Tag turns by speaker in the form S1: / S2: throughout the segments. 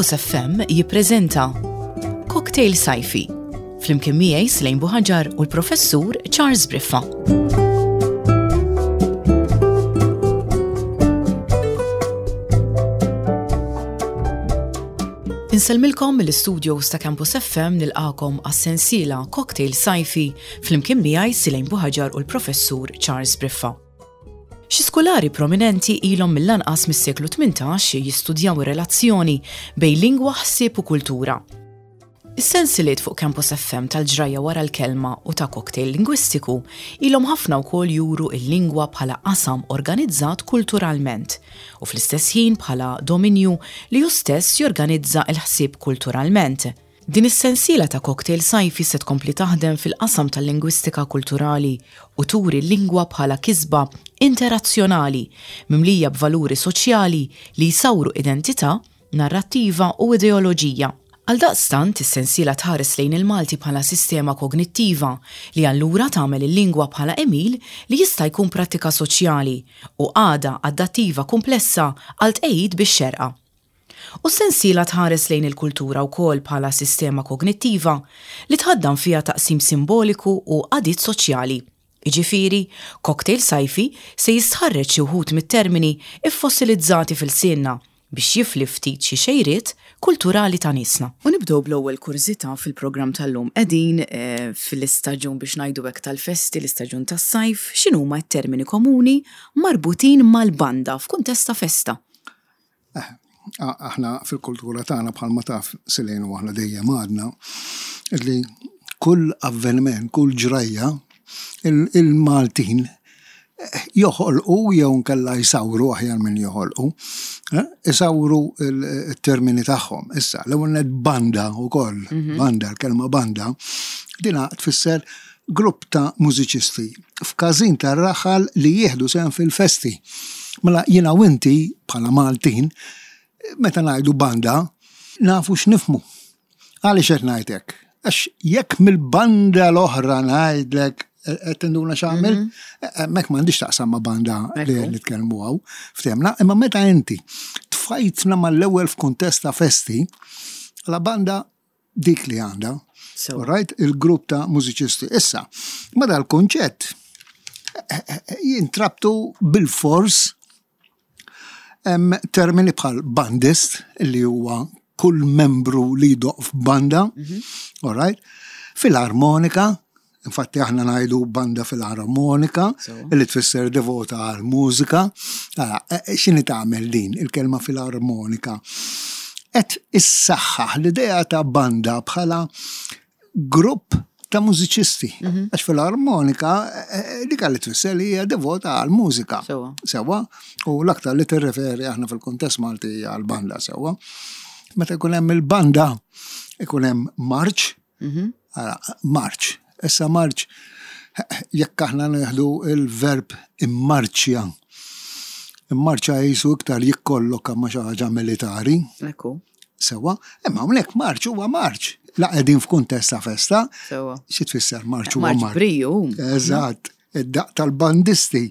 S1: Campus FM jippreżenta Cocktail Sajfi flimkien miegħi Slejn Buħaġar u l-Professur Charles Briffa. Insellmilkom mill-istudios ta' Campus FM nilqakom għas-sensiela Cocktail Sajfi flimkien miegħi Silejn Buħaġar u l-Professur Charles Briffa. Xi skulari prominenti ilhom mill-anqas mis-seklu 18 jistudjaw ir-relazzjoni bejn lingwa, ħsieb u kultura. Is-sensiliet fuq Campus FM tal-ġrajja wara l-kelma u ta' cocktail lingwistiku ilhom ħafna wkoll juru l-lingwa bħala qasam organizzat kulturalment u fl-istess ħin bħala dominju li hu stess jorganizza l-ħsieb kulturalment. Din is-sensiela ta' cocktail sajfi se tkompli taħdem fil-qasam tal-lingwistika kulturali u turi l-lingwa bħala kisba interazzjonali mimlija b'valuri soċjali li jsawru identità, narrattiva u ideoloġija. Għaldaqstant, is-sensiela tħares lejn il-Malti bħala sistema kognittiva li allura tagħmel il-lingwa bħala għemil li jista' jkun prattika soċjali u qagħda adattiva kumplessa għal tqegħid bix-xerqa. U s-sensiela tħares lejn il-kultura wkoll bħala sistema kognittiva li tħaddan fiha taqsim simboliku u qagħdiet soċjali. Jiġifieri, Cocktail Sajfi se jistħarreġ xi wħud mit-termini ffossilizzati f'ilsienna biex jifli ftit xi xejriet kulturali ta' niesna. U nibdew bl-ewwel kurżità fil-programm tal-lum. Qegħdin fl-istaġun biex ngħidu hekk tal-festi, l-istaġun tas-sajf, x'inhuma t-termini komuni marbutin mal-banda f'kuntest ta' festa?
S2: Eh, aħna fil-kultura tagħna bħalma taf Silejn u aħna dejjem għadna li kull avveniment, kull ġrajja, il-Maltin eh, joħolqu jew nkella jsawru aħjar minn joħolqu, eh, isawru il-termini tagħhom. Issa, l-ewwel net banda wkoll, mhm. banda, l-kelma banda, dina tfisser grupp ta' mużiċisti f'każin tar-raħal li jieħdu sehem fil-festi. Mela jiena u inti bħala Maltin meta ngħidu banda nafu x'nifhmu. Għaliex qed ngħid hekk? Għax jekk mill-banda l-oħra ngħidlek qed tinduna x'għamil, mhm. hemmhekk m'għandix taqsam ma' banda li nitkellmu hawn, ftehmna, imma meta inti tfajtna mal-ewwel f'kuntest ta' festi, la banda dik li għandha. So. Right? Il-grupp ta' mużiċisti. Issa, ma dal-kunċett eh, eh, eh, jintrabtu bil-fors termini bħal bandist li huwa kull membru li jdoq f'banda, mm -hmm. all right? Fil-armonika, Infatti aħna ngħidu banda filarmonika li tfisser devota għal mużika. E, e, x'inhi tagħmel din il-kelma filarmonika? Qed issaħħaħ l-idea ta' banda bħala grupp ta' mużiċisti. Mhm. Għax fil-armonika e, dik li tfisser li hija devota għal mużika. Sewa, u l-aktar li tirreferi aħna fil-kuntest Malti għal banda sewa. Meta jkun hemm il-banda, ikun hemm marċ, Mhm. Ara, marċ. Issa marċ, jekk aħna neħdu il-verb immarċja, immarċja jisu iktar jikkolloka ma xi ħaġa militari.
S1: Ekku.
S2: Sewa, imma hawnhekk marċ huwa marċ. La qegħdin f'kuntest ta' festa.
S1: Sewa.
S2: Xi tfisser marċ huwa
S1: marċ. Briju.
S2: Eżatt. Id-daqq tal-bandisti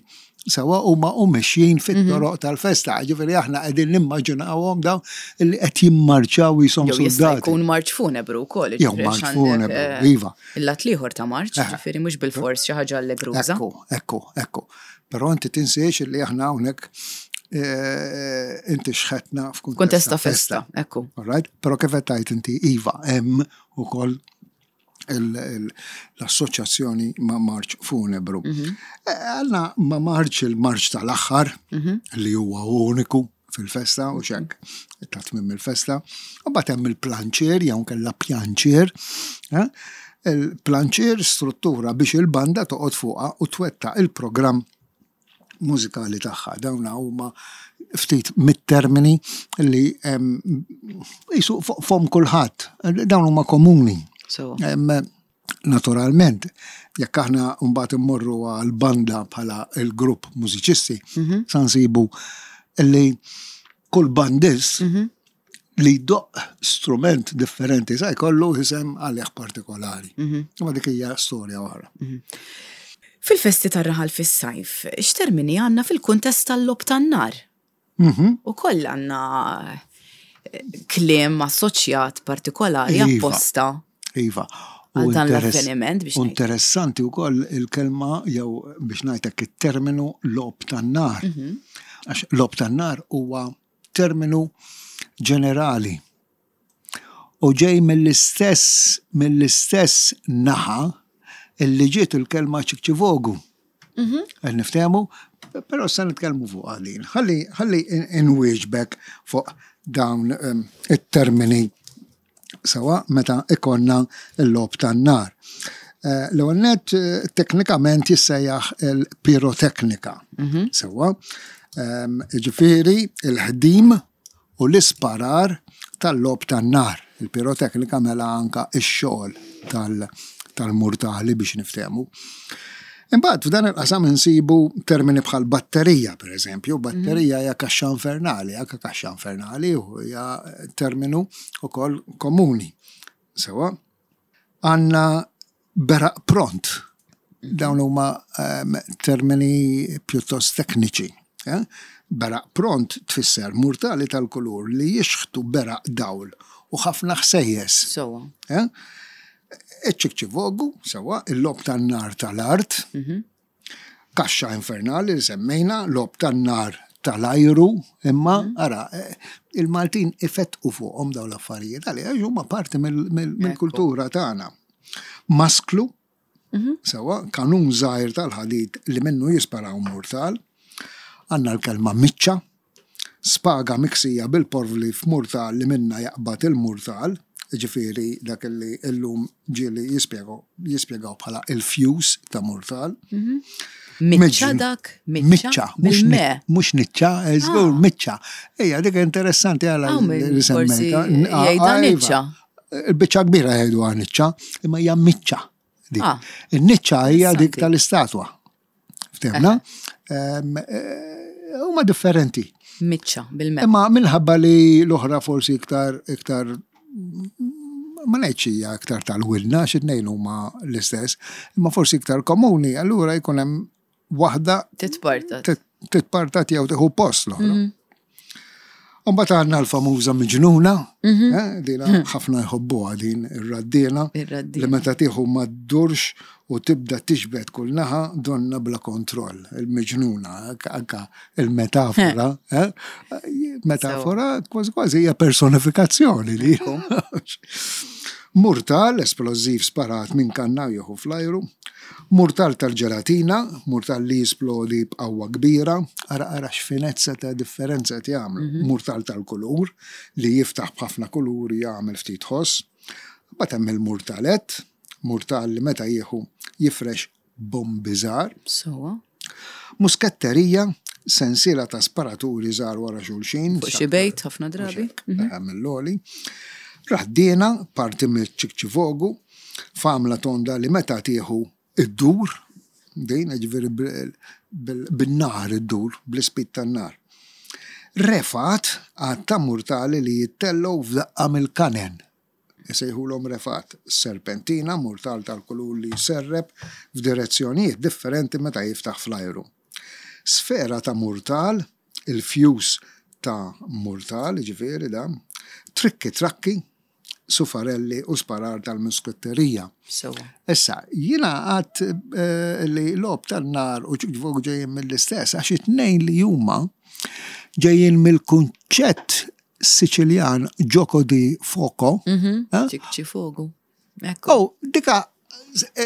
S2: sewa huma u mexjin fit-toroq mhm. tal-festa. Ġifieri aħna qegħdin nimmaġinawhom dawn li qed jimmarċaw jisom
S1: soldati. Jkun marċ funebru wkoll.
S2: Jew marċ funebru, eh, iva.
S1: Il-lat liħor ta' marċ, eh. ġifieri mhux bil-fors xi ħaġa allegruża.
S2: Ekku, ekku, ekku. Però inti tinsiex li aħna hawnhekk eh, inti xħetna
S1: f'kuntest ta' festa. Ekku.
S2: All right? Però kif qed tgħid inti iva hemm ukoll l-assoċjazzjoni ma' marċ funebru. Mhm. E, għalna ma' marċ il-marċ tal-aħħar mhm. li huwa uniku fil-festa u xek ta' tmim il-festa. U bat hemm il-planċier jew kella pjanċier. Eh? Il-planċier struttura biex il-banda toqgħod fuqha u twetta il-programm mużikali tagħha. Dawn huma ftit mit-termini li jisu fom kulħadd. Dawn huma komuni. Naturalment, jekk aħna mbagħad immorru għal banda bħala il-grupp mużiċisti, mhm. sa nsibu li kull bandist mhm. li jdoqq strument differenti sa jkollu isem għalih partikolari. Mhm. Ma dik hija storja oħra.
S1: Mhm. Fil-festi tar-raħal fis-sajf, x'termini għandna fil-kuntest tal-logħob tan-nar?
S2: Mhm.
S1: U koll għandna kliem assoċjat partikolari
S2: Iva.
S1: apposta.
S2: Iva.
S1: Għal dan
S2: interess-
S1: l-avveniment biex
S2: u
S1: ngħid.
S2: Interessanti wkoll il-kelma jew biex ngħidlek it-terminu logħob tan-nar. Għax logħob tan-nar huwa terminu ġenerali. U ġej mill-istess mill-istess naħa illi ġiet il-kelma ċikċivogu. Qed niftehmu, però se nitkellmu fuq għalin. Ħalli ħalli inwieġbek fuq dawn it-termini sewa meta ikonna l-logħob tan-nar. L-ewwel nett teknikament jissejjaħ il-piroteknika. Sewa, jiġifieri il-ħdim u l-isparar tal-logħob tan-nar. Il-piroteknika mela anka x-xogħol tal-murtali biex niftehmu. Imbagħad f'dan il-qasam insibu termini bħal batterija, per eżempju, batterija hija kaxxa infernali, anke kaxxa infernali u hija terminu ukoll komuni. Sewa, għandna beraq pront. Dawn huma termini pjuttost tekniċi. Beraq pront tfisser murtali tal-kulur li jixħtu beraq dawl u ħafna ħsejjes.
S1: Sewa.
S2: Iċ-ċikċivogu, sewa, il-logħob tan-nar tal-art, kaxxa infernali li semmejna, logħob tan-nar tal-ajru, imma ara, il-Maltin ifettqu fuqhom dawn l-affarijiet għaliex għax huma parti mill-kultura tagħna. Masklu, sewa, kanun żgħir tal-ħadid li minnu jisparaw murtal. Għandna l-kelma miċċa, spaga miksija bil-porvli f'murtal li minna jaqbad il-murtal, ġifieri dak li llum ġieli jispjegaw bħala il-fuse ta' murtal.
S1: Miċċa dak?
S2: Miċċa, mhux niċċa, żgur miċċa. Ejja, dik interessanti għala li
S1: semmejta. Jgħidha niċċa.
S2: Il-biċċa kbira jgħidu niċċa, imma hija miċċa. In-niċċa hija dik tal-istatwa. Ftehmna? Huma differenti.
S1: Miċċa, bil-me.
S2: Imma minħabba li l-oħra forsi iktar iktar ma ngħidx hija iktar tal-wilna xi tnejn huma l-istess, imma forsi iktar komuni, allura jkun hemm waħda
S1: titpartat.
S2: Titpartat jew tieħu post l-oħra. Mbagħad għandna l-famuża miġnuna, dina ħafna jħobbuha din ir-raddiena, li meta tieħu ma ddurx u tibda tixbet kull naħa donna bla kontroll, il-miġnuna, anka il-metafora, metafora kważi kważi hija personifikazzjoni li. Murtal, esplożiv sparat minn kanna jieħu fl-ajru. Murtal tal-ġelatina, murtal li jisplodi b'qawwa kbira, ara ara x'finezza ta' differenza qed jagħmlu. Murtal tal-kulur li jiftaħ b'ħafna kuluri jagħmel ftit ħoss. Mbagħad hemm il-murtalett, murtal li meta jieħu jifrex bombi żgħar.
S1: Sewwa.
S2: Musketterija, sensiela ta' sparaturi żgħar wara xulxin.
S1: Fuq xi bejt ħafna drabi.
S2: Mill-għoli. Raddiena, parti mill-ċikċivogu, f'għamla tonda li meta tieħu iddur, din jiġifieri bin-nar iddur, bl-ispid tan-nar. Refat, għadd ta' murtali li jittellgħu f'daqqa mill-kanen. Isejħulhom refat. Serpentina, murtal tal-kulur li jserrep f'direzzjonijiet differenti meta jiftaħ fl-ajru. Sfera ta' murtal, il-fjus ta' murtal, jiġifieri dan, trikki trakki, sufarelli u sparar tal-musketterija.
S1: Sewwa.
S2: Issa, jiena għadt li logħob tan-nar u ċikċvok ġejjin mill-istess, għax it-tnejn li huma ġejjin mill-kunċett Siċiljan gioco di fuoco.
S1: Ċikċifogu. Ekku.
S2: Oh, dika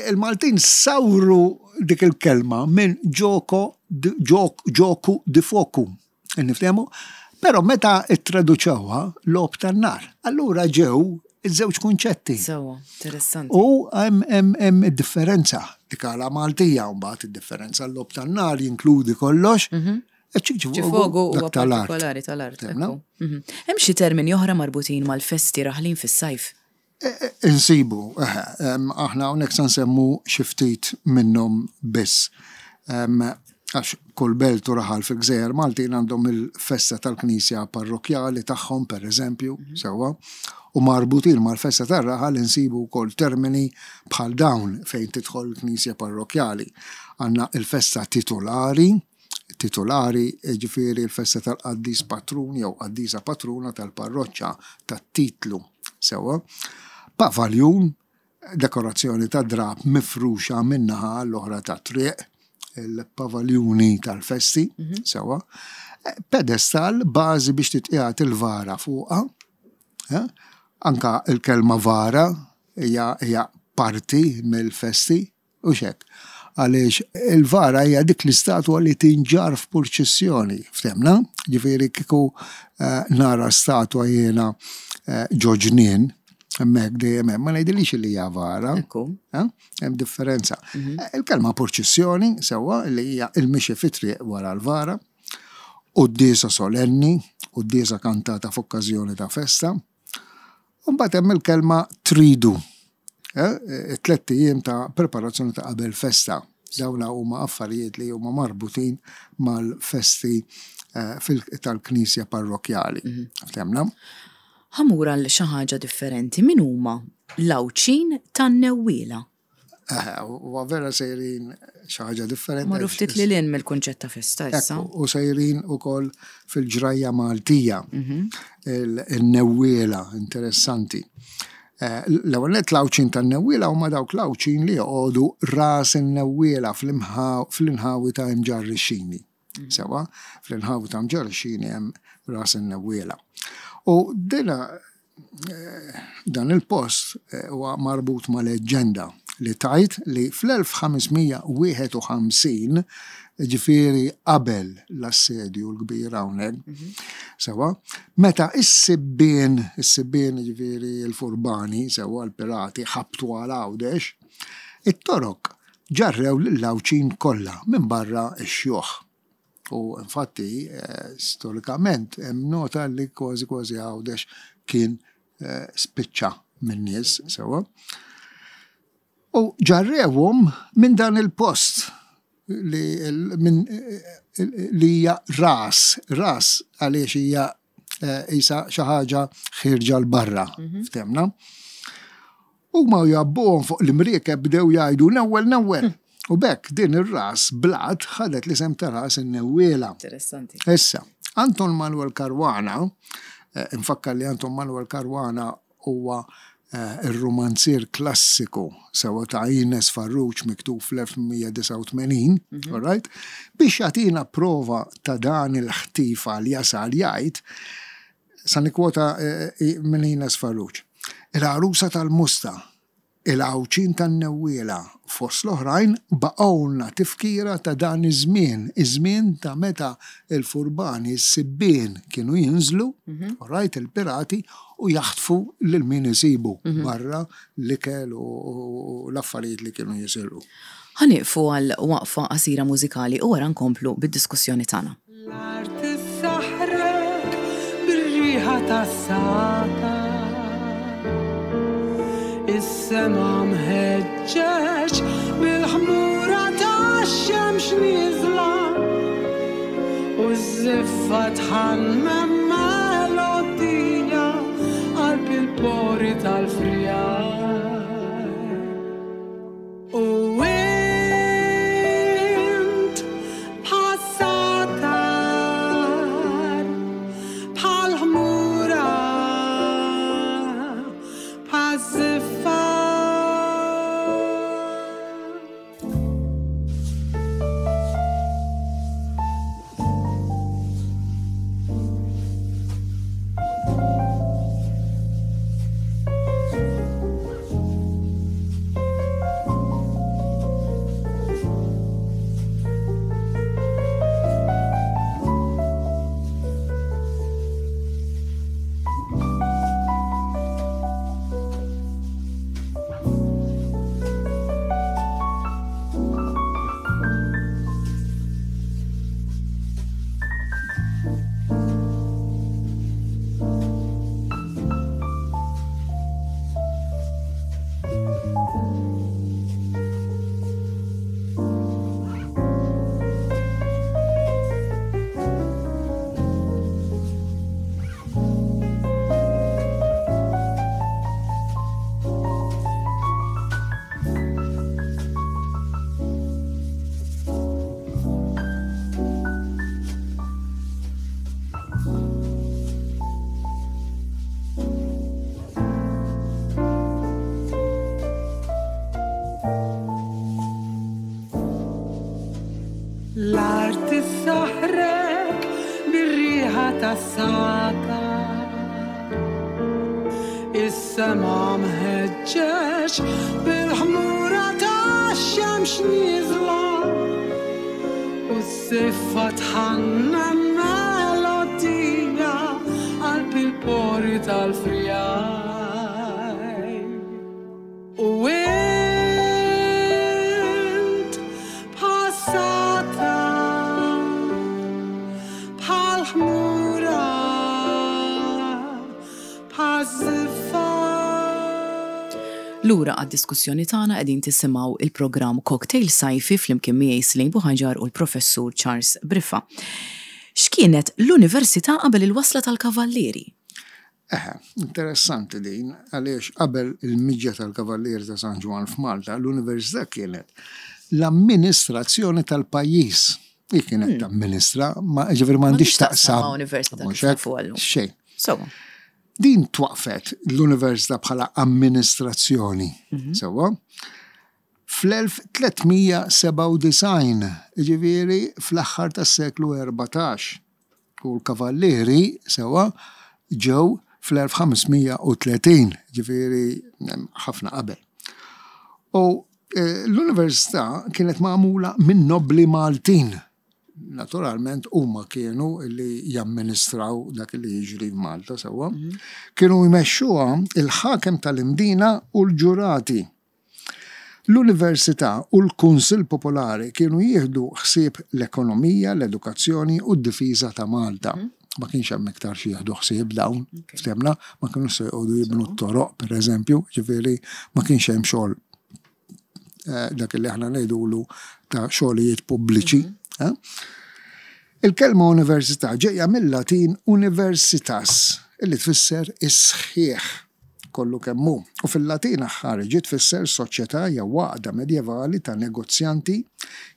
S2: il-Maltin sawru dik il-kelma minn gioco gioco di fuoco. Niftehmu? Però meta ittraduċewha logħob tan-nar, allura ġew iż-żewġ kunċetti.
S1: Sewwa, interessanti.
S2: U hemm id-differenza. Dik għala Maltija mbagħad id-differenza l-logħob tan-nar jinkludi kollox.
S1: Ċifogu huwa partikolari tal-art. Hemm xi termini oħra marbutin mal-festi raħlin fis-sajf?
S2: Insibu, aħna hawnhekk se nsemmu xi ftit minnhom biss. Għax kull belt u raħal fil-Gżejjer Maltin għandhom il-festa tal-knisja parrokkjali tagħhom, pereżempju, sewwa, u marbutin mal-festa tar-raħal insibu wkoll termini bħal dawn fejn tidħol il-knisja parrokkjali. Għandna il-festa titolari, titulari, jiġifieri l-festa tal-qaddis patrun jew qaddisa patruna tal-parroċċa tat-titlu. Sewwa. Pavaljun, dekorazzjoni ta' drab mifruxa minn naħa għall-oħra tat-triq, il-pavaljuni tal-festi, mhm. sewwa. Pedestal, bażi biex titqiegħed il-vara fuqha. Eh? Anka il-kelma vara hija parti mill-festi, Hux hekk? Għaliex il-vara hija dik l-istatwa li tinġarr f'purċissjoni, ftemna? Ġifieri kieku eh, nara statwa jiena eh, ġo ġnien, hemmhekk dejjem hemm, ma ngħidilix li hija vara. Eh, hemm differenza. Mhm. Il-kelma purċissjoni sewwa li hija il-mixi fit-triq wara l-vara, quddiesa solenni, quddiesa kantata f'okkażjoni ta' festa, U mbagħad hemm il-kelma tridu. Eh, it-tlett ijiem ta' preparazzjoni ta' qabel festa. Dawna huma affarijiet li huma marbutin mal-festi eh, tal-knisja parrokjali. Mhm. Ftemna?
S1: Ħamur għal xi ħaġa differenti min huma l-Għawdxin tan-Newwiela?
S2: Huwa vera sejrin xi ħaġa differenti.
S1: Marru ftit lil hinn mill-kunċett ta' festa issa.
S2: U sejrin ukoll fil-ġrajja Maltija. Mhm. Il-newwiela interessanti. Eh, l-ewwel nett l-Għawdxin tan-newwiela huma dawk l-Għawdxin li joqogħdu ras in-newwiela fl-inħawi ta' Imġarr ix-Xini. Mhm. Sewa, fl-inħawi ta' Mġarr ix-Xini hemm ras in-newwiela. U dina Dan il-post huwa marbut ma' leġġenda li tgħid li fl-1551, jiġifieri qabel l-Assedju l-Kbir hawnhekk, sewwa, meta s-sibbien, is-sibbien jiġifieri l-furbani, sewwa, l-pirati ħabtu għal Għawdex, it-Torok ġarrew lill-Għawdxin kollha minbarra x-xjuħ. U infatti, storikament, hemm nota li kważi kważi Għawdex kien spiċċa min-nies sewwa. U ġarrewhom minn dan il-post li li hija ras, ras għaliex hija qisha xi ħaġa ħierġa 'l barra, ftemna. Huma u jgħabbuhom fuq l-imriekeb bdew jgħidu newwel newwel. U b'hekk din ir-ras blat ħadet l-isem ta' ras in-newwiela.
S1: Interessanti.
S2: Issa, Anton Manuel Caruana, eh, infakkar li Anton Manuel Caruana huwa eh, ir-rumanzier klassiku sewa ta' Ines Farrugia miktub fl-1889, mhm. all right? Biex jagħtina prova ta' dan il-ħtif għal jasal jgħid Sa nikkwota minn Ines Farrugia. Il-għarusa tal-Musta, il-Għawdxin tan-Newwiela, fost l-oħrajn, baqgħulna tifkira ta' dan iż-żmien, iż-żmien ta' meta l-furbani, s-sibbien kienu jinżlu, all right, il-pirati, u jaħtfu lil min isibu barra l-ikel u l-affarijiet li kienu jisirqu.
S1: Ħa nieqfu għal waqfa qasira mużikali u wara nkomplu bid-diskussjoni tagħna.
S3: L-art issaħħrek bir-riħa tas-sagħtar. Is-sema mħeġġeġ bil-ħmura tax-xemx nieżla u ż-żiffa tħammem melodija qalb il-pori tal-friegħi. U int bħas-sagħtar, bħall-ħmura, bħaż-żiffa. tas-sata. Is-sema mħeġġeġ bil-ħmura tax-xemx nieżla u s-siffa tħannan melodija qalb il-pori tal-frijaj. U int bħas-satra, bħall-ħmura, bħaż-żiffa.
S1: Lura għad-diskussjoni tagħna qegħdin tisimgħu il-programm Cocktail Sajfi flimkien miegħi Celine Buhaġar u l-Professur Charles Briffa. X'kienet l-Università qabel il-wasla tal-Kavallieri?
S2: Eħe, interessanti din, għaliex qabel il-miġja tal-Kavallieri ta' San Ġwann f'Malta, l-Università kienet l-amministrazzjoni tal-pajjiż. Hi kienet hmm. tamministra, ma ġifieri m'għandix taqsam.
S1: Ma' università kif nafu għallum.
S2: Xejn.
S1: Sewa.
S2: Din twaqfet l-Università bħala amministrazzjoni, mhm. sewwa. Fl-1397, ġifieri fl-aħħar tas-seklu 14. U l-Kavallieri, sewwa, ġew fl-1530, ġifieri ħafna qabel. U eh, l-università kienet magħmula minn nobbli Maltin. Naturalment huma kienu li jamministraw dak li jiġri f'Malta sewwa. Mhm. Kienu jmexxuha il-ħakem tal-Imdina u l-ġurati. L-Università u l-Kunsill Popolari kienu jieħdu ħsieb l-ekonomija, l-edukazzjoni u d-difiża ta' Malta. Ma kienx hemm iktar xi jieħdu ħsieb dawn, ftehmna, ma kinux se joqogħdu jibnu t-toroq, pereżempju, ġifieri ma kienx hemm xogħol eh, dak li aħna ngħidulu ta' xogħlijiet pubbliċi. Eh? Il-kelma università ġejja mill-Latin universitas, illi tfisser is-sħiħ. kollu kemm hu, u fil-Latin aħħari ġiet tfisser soċjetà jew għaqda medjevali ta' negozjanti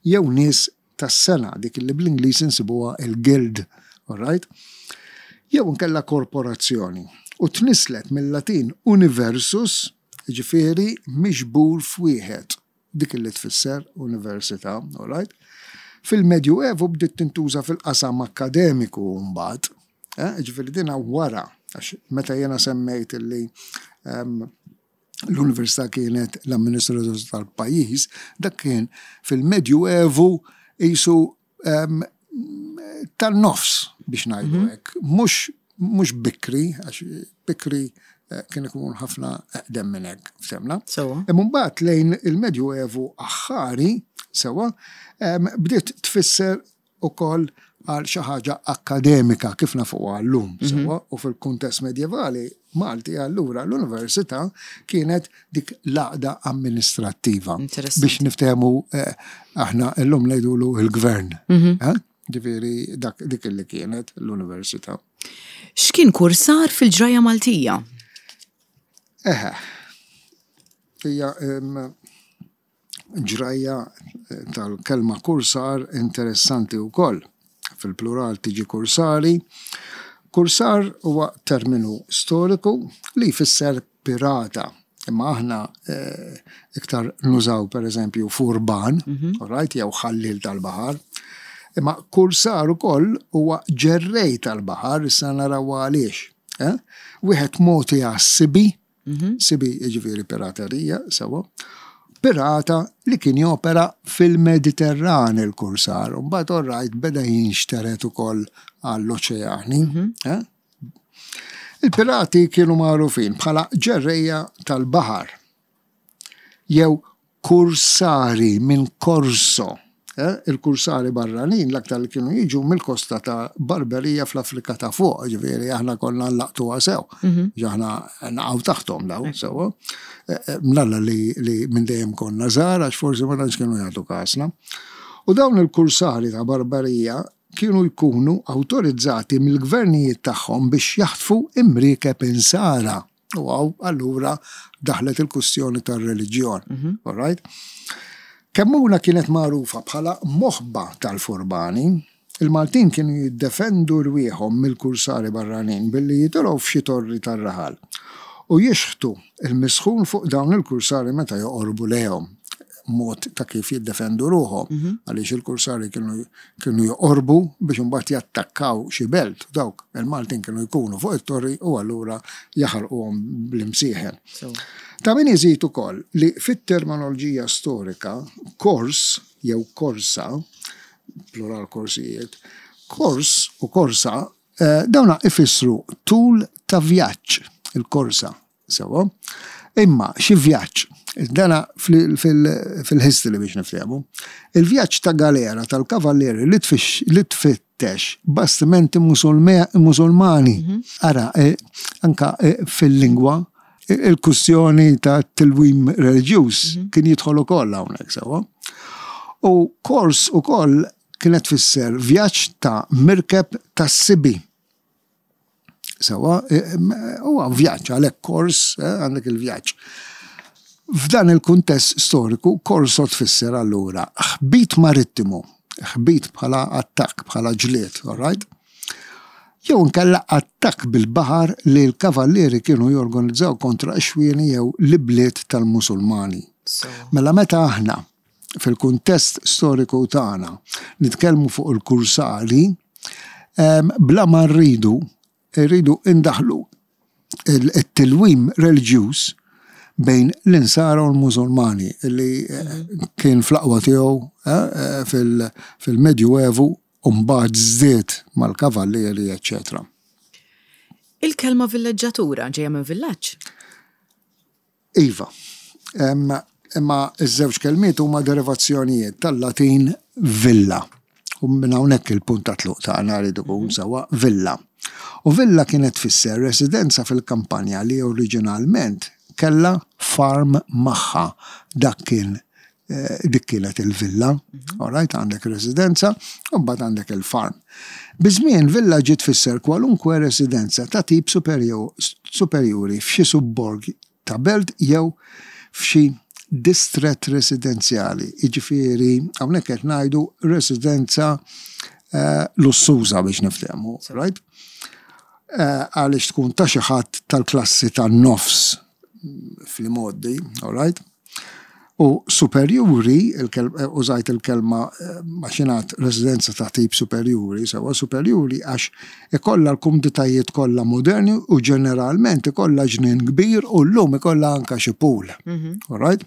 S2: jew nies tas-sengħa, dik li bl-Ingliż insibuha il-guild, alright? Jew inkella korporazzjoni, u tnisslet mill-Latin universus, jiġifieri miġbur f'wieħed. dik li tfisser università, all right? Fil-Medjuevu bdiet tintuża fil-qasam akkademiku mbagħad, eh, ġifieri dina wara, għax meta jiena semmejt illi ehm, l-università kienet l-amministratur tal-pajjiż, dak kien fil-Medjuevu qisu ehm, tan-nofs biex ngħidu mhm. hekk, mhux mhux bikri, għax bikri eh, kien ikun ħafna eqdem minn hekk, ftemna. Imma mbagħad lejn il-Medjuevu aħħari, sewa, bdiet tfisser ukoll għal xi ħaġa akkademika kif nafuha llum, mhm. sewa, u fil-kuntest medjevali Malti allura l-università kienet dik l-għaqda amministrattiva. Biex niftehmu eh, aħna llum ngħidulu il-gvern. Mhm. Eh? Ġifieri dak dik li kienet l-università.
S1: X'kien kursar fil-ġrajja Maltija?
S2: Eħe. Hija Ġrajja tal-kelma kursar interessanti wkoll. Fil-plural tiġi kursari. Kursar huwa terminu storiku li jfisser pirata. Imma aħna eh, iktar nużaw pereżempju furban, mhm. right, jew ħallil tal-baħar. Imma kursar ukoll huwa ġerrej tal-baħar, issa naraw għaliex. Eh? Wieħed mogħti għas-sibi, Mhm. Sibi jiġifieri piraterija, sewa. Pirata li kien jopera fil-Mediterran il-kursar, u mbagħad orrajt beda jinxteret ukoll għall-oċeani. Mhm. Eh? Il-pirati kienu magħrufin bħala ġerrejja tal-baħar jew kursari minn Corso. Eh, il-kursari barranin l-aktar li kienu jiġu mill-kosta ta' Barberija fl-Afrika ta' fuq, ġifieri aħna konna nlaqtuha sew. Mhm. Aħna naqgħu taħtom daw sew. Eh, eh, mnalla li, li minn dejjem konna żgħar għax forsi ma tantx kienu jagħtu kasna. U dawn il-kursari ta' Barbarija kienu jkunu awtorizzati mill-gvernijiet tagħhom biex jaħtfu imriekeb insara. U għaw, allura daħlet il-kustjoni tar-reliġjon. Mhm. All right? Kemmuna kienet magħrufa bħala moħba tal-furbani. Il-Maltin kienu jiddefendu rwieħhom mill-kursari barranin billi jitilgħu f'xi torri tar-raħal u jixħtu il-misħun fuq dawn il-kursari meta joqorbu lejhom. mod ta' kif jiddefendu ruħhom mhm. għaliex il-kursari kienu kienu joqorbu biex imbagħad jattakkaw xi belt dawk il-Maltin kienu jkunu fuq it-torri u allura jaħarquhom bl-imsieħen. Ta' min iżid ukoll li fit-terminoloġija storika kors jew korsa, plural korsijiet, kors u korsa eh, dawna ifissru tul ta' vjaġġ il-korsa Sewwa. Imma xi vjaġġ, dana fil-history biex niftehmu, il-vjaġġ ta' galera tal-kavallieri li tfittex bastimenti Musulmani. Mhm. Ara, e, anka e, fil-lingwa, e, il-kustjoni ta' tilwim reliġjuż mhm. kien jidħol ukoll hawnhekk sewwa. U kors ukoll kienet tfisser vjaġġ ta' mirkeb tas-sibi. Sewa, e, huwa vjaġġ għalhekk kors e, għandek il-vjaġġ. F'dan il-kuntest storiku, korso tfisser allura ħbit marittimu, ħbit bħala attakk, bħala ġlied, all right? Jew inkella attakk bil-baħar li l-kavallieri kienu jorganizzaw kontra x-xwieni jew l-ibliet tal-Musulmani. Mela meta aħna fil-kuntest storiku tagħna nitkellmu fuq il-kursali, bla ma rridu, rridu indaħlu it-tilwim reliġjuż bejn l-insara u l-Musulmani li eh, kien fl-aqwa tiegħu eh, eh, fil-Medjuevu u mbagħad żdied mal-kavallieri, eċċetera.
S1: Il-kelma villeġġatura ġejja minn villaġġ?
S2: Iva. Imma ż-żewġ kelmiet huma derivazzjonijiet tal-Latin villa. U minn hawnhekk il-punt ta' tluq tagħna rrid ikun mhm. sewwa villa. U villa kienet tfisser residenza fil-kampanja li oriġinalment kellha farm magħha. Dak kien eh, dik kienet il-villa, mhm. all right, għandek residenza, u mbagħad għandek il-farm. Biż-żmien villa ġiet tfisser kwalunkwe residenza ta' tip superjuri f'xi subborg ta' belt jew f'xi distrett residenzjali, jiġifieri hawnhekk qed ngħidu residenza eh, lussuża biex niftehmu, right? Eh, għaliex tkun ta' xi ħadd tal-klassi tan-nofs fl-imgħoddi, all right? U superjuri, eh, użajt il-kelma eh, maċinat residenza ta' tip superjuri, sewa superjuri għax ikollha l-kumditajiet kollha moderni u ġeneralment ikollha ġnien kbir u llum ikollha anka xi pool. Mhm. All right?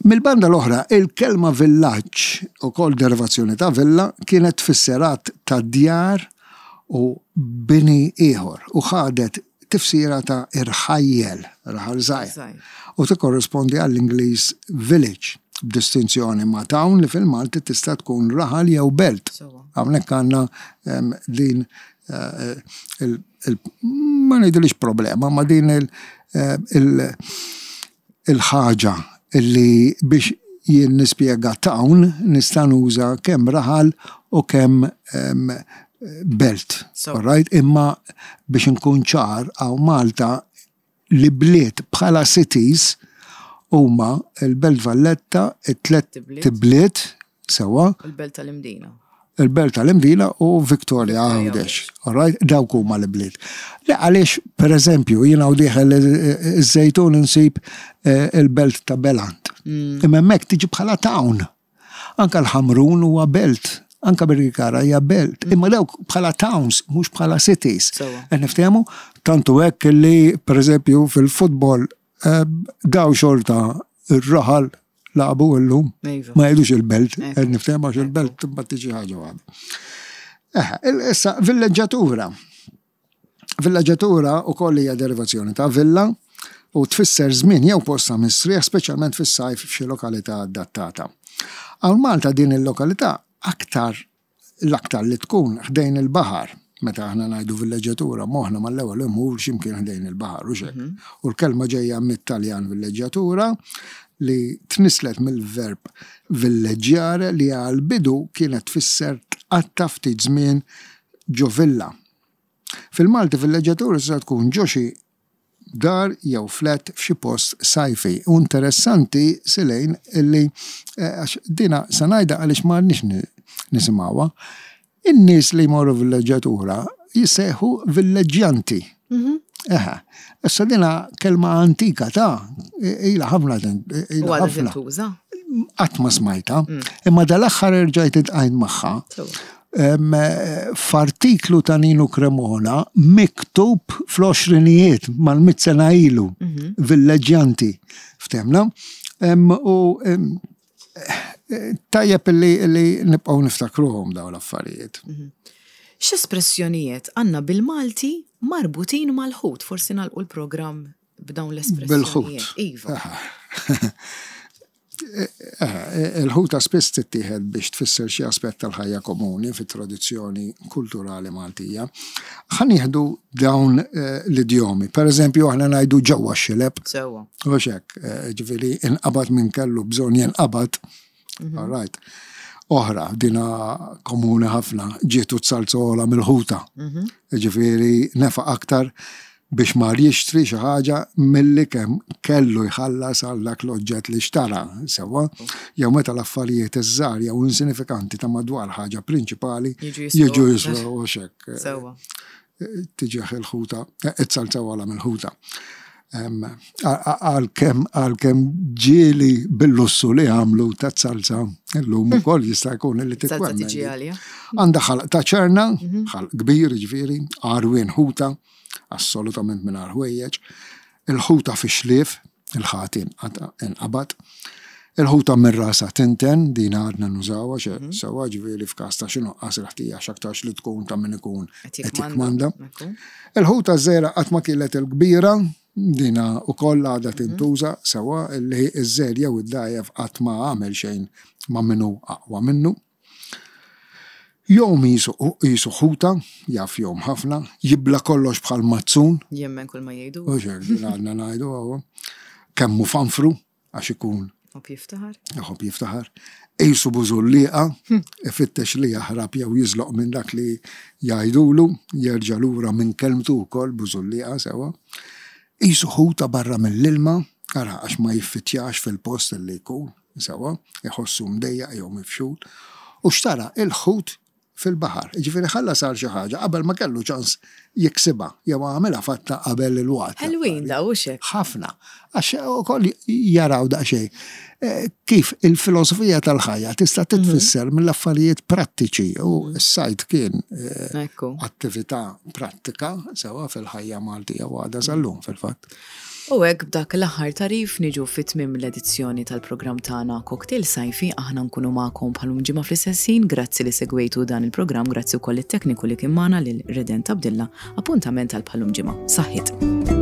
S2: Mill-banda l-oħra, il-kelma villaġġ, ukoll derivazzjoni ta' villa, kienet tfisser għadd ta' djar u bini ieħor u ħadet tifsira ta' irħajjel, raħal żgħir, u tikkorrispondi għall-Ingliż village, b'distinzjoni ma' town li fil-Malti tista' tkun raħal jew belt. Hawnhekk għandna ehm, din eh, il, ma ngħidilix problema, ma din il, eh, il il-ħaġa li biex jien nispjega town nista' nuża kemm raħal u kemm belt. Right? Imma biex inkun ċar hawn Malta li bliet bħala cities huma l-Belt Valletta, it-tlet tibliet, Sewwa.
S1: Il-Belt tal-Imdina.
S2: Il-Belt tal-Imdina u Victoria Għawdex. All right? Dawk huma l-bliet. Le għaliex, per eżempju, jien hawn dieħel iż-Żejtun insib eh, il-Belt ta' Belant. Mm. Imma hemmhekk tiġi bħala town. Anka l-Ħamrun huwa belt. Anka Birkirkara hija belt. Mm. Imma dawk bħala towns, mhux bħala cities. Qed niftehmu tantu hekk li, per eżempju, fil-futbol eh, daw xorta ir-raħal lagħbu illum. Iva. Ma jgħidux il-belt, qed niftehmu għax il-belt imbagħad tiġi ħaġa waħda. Eh, issa villeġġatura. Villeġġatura wkoll hija derivazzjoni ta' villa u tfisser żmien jew post ta' mistrieħ speċjalment fis-sajf f'xi lokalità adattata. Hawn Malta din il-lokalità aktar l-aktar li tkun ħdejn il-baħar. Meta aħna ngħidu villeġġjatura, moħħna mal-ewwel imur xi mkien ħdejn il-baħar, hux hekk? U l-kelma ġejja mit-Taljan villeġġjatura li tnisslet mill-verb villeggiare li għall-bidu kienet tfisser tqatta' ftit żmien ġo villa. Fil-Malti villeġġjatura tista' tkun ġo xi dar jew flat f'xi post sajfi. U interessanti Silejn illi għax dina se ngħidha għaliex ma għadniex nisimgħuha, in-nies li jmorru villeġġjatura jissejħu villeġġjanti. Mhm. Eħe. Issa dina kelma antika ta' ilha ħafna
S1: ilha ħafna. tintuża?
S2: Qatt ma smajta, imma dal-aħħar erġajt iltqajt magħha. F'artiklu ta' Ninu Cremona miktub fl-għoxrinijiet mal-mit sena ilu, mhm. villeġġjanti, ftemna. U tajjeb li nibqgħu niftakruhom dawn l-affarijiet. Mhm.
S1: X'espressjonijiet għandna bil-Malti marbutin mal-ħut? Forsi nagħlqu l-programm b'dawn l-espressjonijiet.
S2: Bil-ħut.
S1: Iva.
S2: Il-ħuta spiss tittieħed biex tfisser xi aspett tal-ħajja komuni fit-tradizzjoni kulturali Maltija. Ħa nieħdu dawn eh, l-idjomi. Per eżempju, aħna ngħidu ġewwa x-xileb.
S1: Sewwa.
S2: U hekk, eh, ġifieri inqabad minn kellu bżonn jinqabad. Mhm. All right. Oħra, dina komuni ħafna, ġietu t-salzola mill-ħuta. Mhm. Ġifieri nefaq aktar biex mar jixtri xi ħaġa milli kemm kellu jħallas għal dak l-oġġett li xtara, sewwa, jew meta l-affarijiet iż-żgħar jew insinifikanti ta' madwar ħaġa prinċipali jiġu jiswew u hekk.
S1: Sewwa.
S2: Tiġih il-ħuta, it-salza wara mill-ħuta. Għalkemm għalkemm ġieli bil-lussu li għamlu ta' salza illum ukoll jista' jkun li
S1: titwemmen.
S2: Għandha ħalq ta' ċerna, mhm. ħalq kbir ġifieri, għarwien ħuta, assolutament mingħajr ħwejjeġ, il-ħuta fix-xlief, il-ħati inqabad, il-ħuta minn rasha tinten, din għadna nużawha xe mhm. sewwa ġifieri f'każ ta' xi nuqqas il-ħtija x'aktarx li tkun ta' min ikun qed jikkmanda. Il-ħuta żgħira qatt ma kielet il-kbira, dina wkoll għadha mhm. tintuża sewwa li ż-żgħir jew id-dgħajjef qatt ma għamel xejn ma' min hu aqwa minnu. Jgħum qisu ħuta, jaf jgħum ħafna, jibla' kollox bħal mazzun.
S1: Jemmen kull ma jgħidu.
S2: Hux hekk, din għadna ngħidu hawn. Kemm hu fanfru, għax ikun.
S1: Iħobb jiftaħar.
S2: Iħobb jiftaħar. Qisu bużullieqa, ifittex li jaħrab jew jiżloq minn dak li jgħidulu, jerġa' lura minn kelmtu wkoll bużullieqa sewwa. Qisu ħuta barra mill-ilma, ara għax ma jiffittjax fil-post li jkun. Sewwa, iħossu mdejjaq jew mifxul, u xtara il-ħut fil-baħar. Jiġifieri ħallas għal xi ħaġa qabel ma kellu ċans jiksibha jew għamilha fatta qabel il-waqt.
S1: Ħelwin dawn, hux hekk?
S2: Ħafna. Għax ukoll jaraw daqsxejn kif il-filosofija tal-ħajja tista' titfisser mill-affarijiet prattiċi u s-sajd kien attività prattika sewwa fil-ħajja Maltija u għadha sal-lum fil-fatt.
S1: U hekk b'dak l-aħħar tagħrif niġu fi tmiem l-edizzjoni tal-programm tagħna Cocktail Sajfi. Aħna nkunu magħkom bħal lum ġimgħa fl-istess ħin. Grazzi li segwejtu dan il-programm, grazzi wkoll lit-tekniku li kien magħna lil Redent Abdilla. Appuntament għal bħal lum ġimgħa. Saħħiet.